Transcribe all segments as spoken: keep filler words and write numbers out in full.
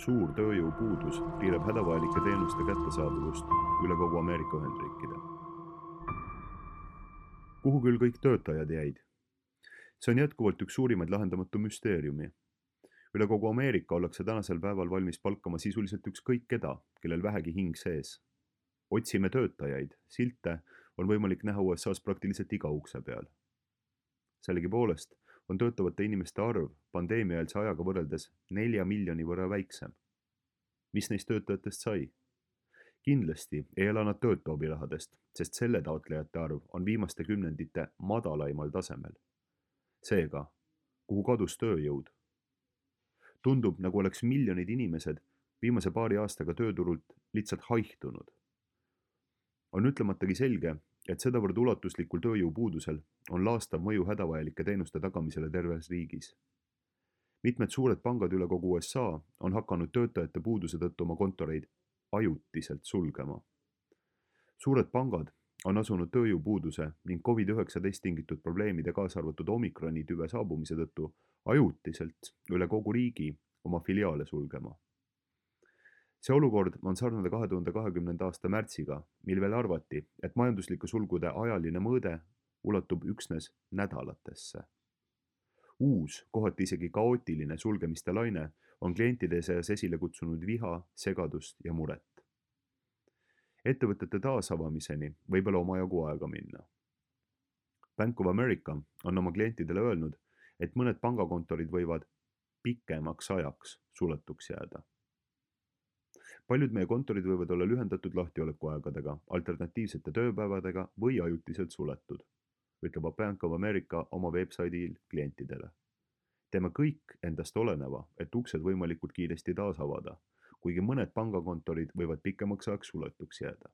Suur tööjõupuudus piirab hädavajalike teenuste kättesaadavust üle kogu Ameerika Ühendriikide. Kuhu küll kõik töötajad jäid? See on jätkuvalt üks suurimaid lahendamatu müsteeriumi. Üle kogu Ameerika ollakse tänasel päeval valmis palkama sisuliselt ükskõik keda, kellel vähegi hing sees. Otsime töötajaid, silte on võimalik näha U S A-s praktiliselt iga ukse peal. Sellegipoolest on töötavate inimeste arv pandeemiaeelse ajaga võrreldes nelja miljoni võrra väiksem. Mis neist töötajatest sai? Kindlasti ei ela nad töötu abirahadest, sest selle taotlejate arv on viimaste kümnendite madalaimal tasemel. Seega, kuhu kadus tööjõud? Tundub, nagu oleks miljonid inimesed viimase paari aastaga tööturult lihtsalt haihtunud. On ütlematagi selge, et sedavõrd ulatuslikul tööjõupuudusel on laastav mõju hädavajalike teenuste tagamisele terves riigis. Mitmed suured pangad üle kogu U S A on hakanud töötajate puuduse tõttu oma kontoreid ajutiselt sulgema. Suured pangad on asunud tööjõupuuduse ning covid üheksateist tingitud probleemide kaasa arvatud omikroni tüve saabumise tõttu ajutiselt üle kogu riigi oma filiaale sulgema. See olukord on sarnane kahe tuhande kahekümnenda aasta märtsiga, mil veel arvati, et majanduslike sulgude ajaline mõõde ulatub üksnes nädalatesse. Uus, kohati isegi kaootiline sulgemiste laine on klientide seas esile kutsunud viha, segadust ja muret. Ettevõtete taasavamiseni võib olla omajagu aega minna. Bank of America on oma klientidele öelnud, et mõned pangakontorid võivad pikemaks ajaks suletuks jääda. Paljud meie kontorid võivad olla lühendatud lahtiolekuaegadega, alternatiivsete tööpäevadega või ajutiselt suletud, ütleb Bank of America oma veebsaidil klientidele. Teeme kõik endast oleneva, et uksed võimalikult kiiresti taas avada, kuigi mõned pangakontorid võivad pikemaks ajaks suletuks jääda.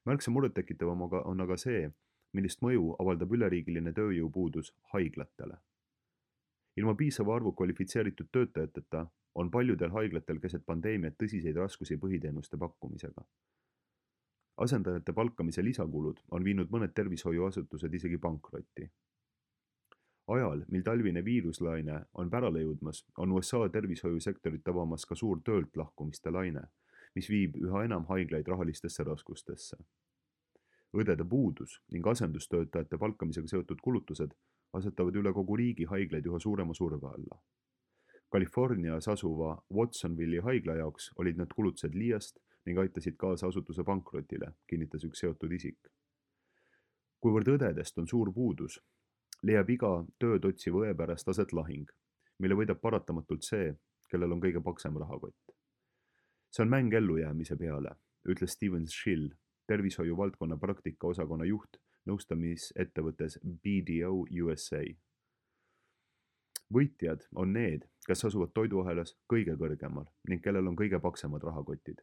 Märksa murettekitavam on aga see, millist mõju avaldab üleriigiline tööjõupuudus haiglatele. Ilma piisava arvu kvalifitseeritud töötajateta on paljudel haiglatel keset pandeemiat tõsiseid raskusi põhiteenuste pakkumisega. Asendajate palkamise lisakulud on viinud mõned tervishoiuasutused isegi pankrotti. Ajal, mil talvine viiruslaine on pärale jõudmas, on U S A tervishoiusektorit avamas ka suur töölt lahkumiste laine, mis viib üha enam haiglaid rahalistesse raskustesse. Õdede puudus ning asendustöötajate palkamisega seotud kulutused asetavad üle kogu riigi haiglaid üha suurema surve alla. Californias asuva Watsonville'i haigla jaoks olid need kulutused liiast ning aitasid kaasa asutuse pankrotile, kinnitas üks seotud isik. Kuivõrd õdedest on suur puudus, leiab iga tööd otsiva õe pärast aset lahing, mille võidab paratamatult see, kellel on kõige paksem rahakott. See on mäng ellujäämise peale, ütles Steven Schill, tervishoiu valdkonna praktika osakonna juht nõustamisettevõttes B D O U S A. Võitjad on need, kes asuvad toiduahelas kõige kõrgemal ning kellel on kõige paksemad rahakotid.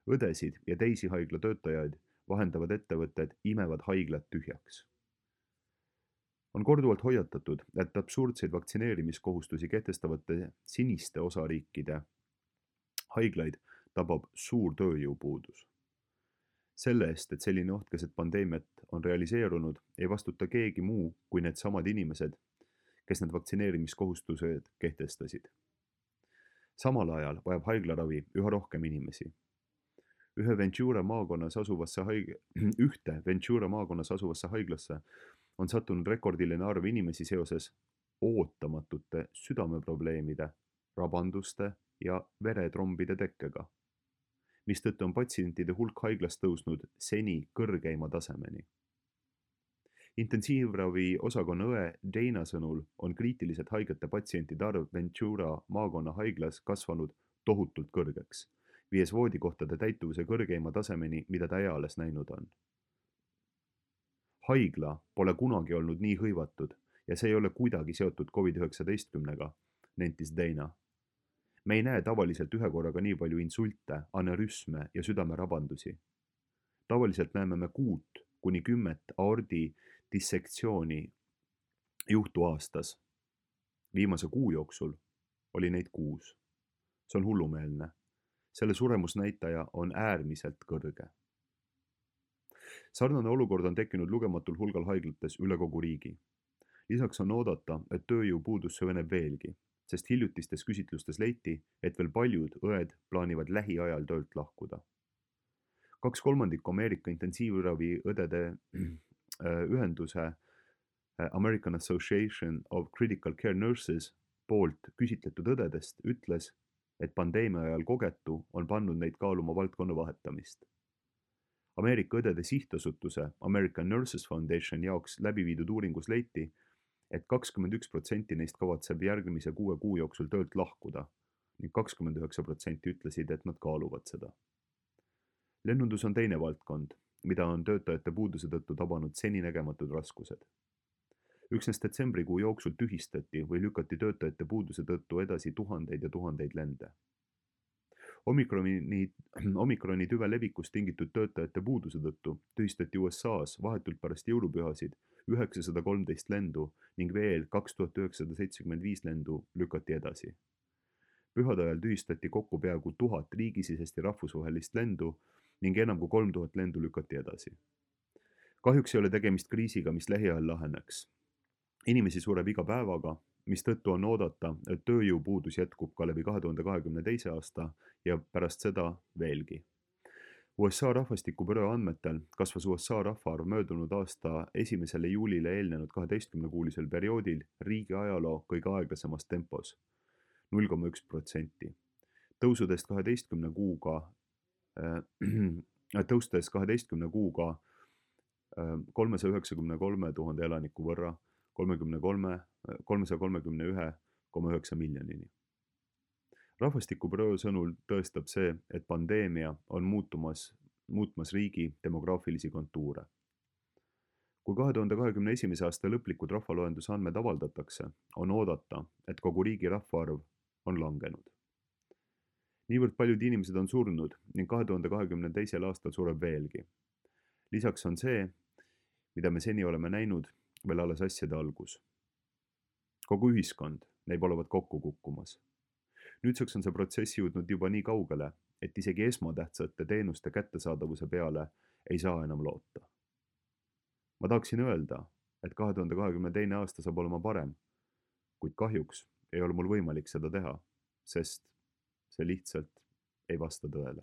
Õdesid ja teisi haigla töötajaid vahendavad ettevõtted imevad haiglad tühjaks. On korduvalt hoiatatud, et absurdseid vaktsineerimiskohustusi kehtestavate siniste osariikide haiglaid tabab suur tööjõupuudus. Selle eest, et selline oht keset pandeemiat on realiseerunud, ei vastuta keegi muu kui need samad inimesed, kes need vaktsineerimiskohustused kehtestasid. Samal ajal vajab haiglaravi üha rohkem inimesi. Ühe Ventura maakonnas asuvasse haig- ühte Ventura maakonnas asuvasse haiglasse on sattunud rekordiline arv inimesi seoses ootamatute südameprobleemide, rabanduste ja veretrombide tekkega, mistõttu on patsientide hulk haiglas tõusnud seni kõrgeima tasemeni. Intensiivravi osakonna õe Dana sõnul on kriitiliselt haigete patsientide arv Ventura maakonna haiglas kasvanud tohutult kõrgeks, viies voodikohtade täituvuse kõrgeima tasemeni, mida ta eales näinud on. Haigla pole kunagi olnud nii hõivatud ja see ei ole kuidagi seotud covid üheksateistkümnega, nentis Dana. Me ei näe tavaliselt ühe korraga nii palju insulte, aneurüsme ja südamerabandusi. Tavaliselt näeme me kuut kuni kümmet aordi dissektsiooni juhtu aastas. Viimase kuu jooksul oli neid kuus. See on hullumeelne. Selle suremusnäitaja on äärmiselt kõrge. Sarnane olukord on tekkinud lugematul hulgal haiglates üle kogu riigi. Lisaks on oodata, et tööjõupuudus süveneb veelgi. sest hiljutistes küsitlustes leiti, et veel paljud õed plaanivad lähiajal töölt lahkuda. kaks kolmandikku Ameerika intensiivravi õdede ühenduse American Association of Critical Care Nurses poolt küsitletud õdedest ütles, et pandeemia ajal kogetu on pannud neid kaaluma valdkonna vahetamist. Ameerika õdede sihtasutuse American Nurses Foundation jaoks läbi viidud uuringus leiti, et kakskümmend üks protsenti neist kavatseb järgmise kuue kuu jooksul töölt lahkuda ning kakskümmend üheksa protsenti ütlesid, et nad kaaluvad seda. Lennundus on teine valdkond, mida on töötajate puuduse tõttu tabanud seninägematud raskused. Üksnes detsembrikuu jooksul tühistati või lükati töötajate puuduse tõttu edasi tuhandeid ja tuhandeid lende. Omikroni, omikroni tüve levikust tingitud töötajate puuduse tõttu tühistati U S A-s vahetult pärast jõulupühasid üheksasada kolmteist lendu ning veel kaks tuhat üheksasada seitsekümmend viis lendu lükati edasi. Pühade ajal tühistati kokku peaaegu tuhat riigisisest ja rahvusvahelist lendu ning enam kui kolm tuhat lendu lükati edasi. Kahjuks ei ole tegemist kriisiga, mis lähiajal laheneks. Inimesi sureb iga päevaga, mis tõttu on oodata, et tööjõupuudus jätkub ka läbi kahe tuhande kahekümne teise aasta ja pärast seda veelgi. U S A rahvastikubüroo andmetel kasvas U S A rahvaarv möödunud aasta esimesele juulile eelnenud kaheteistkümnekuulisel perioodil riigi ajaloo kõige aeglasemas tempos, null koma üks protsenti. Tõusudest kaheteistkümne kuuga, äh, tõustes kaheteistkümne kuuga äh, kolmesaja üheksakümne kolme tuhande elaniku võrra kolmesaja kolmekümne ühe koma üheksa miljonini. Rahvastikubüroo sõnul tõestab see, et pandeemia on muutumas, muutmas riigi demograafilisi kontuure. Kui kahe tuhande kahekümne esimese aasta lõplikud rahvaloenduse andmed avaldatakse, on oodata, et kogu riigi rahvaarv on langenud. Niivõrd paljud inimesed on surnud ning kahe tuhande kahekümne teisel aastal sureb veelgi. Lisaks on see, mida me seni oleme näinud, veel alles asjade algus. Kogu ühiskond näib olevat kokku kukkumas. Nüüdseks on see protsess jõudnud juba nii kaugele, et isegi esmatähtsate teenuste kättesaadavuse peale ei saa enam loota. Ma tahaksin öelda, et kahe tuhande kahekümne teine aasta saab olema parem, kuid kahjuks ei ole mul võimalik seda teha, sest see lihtsalt ei vasta tõele.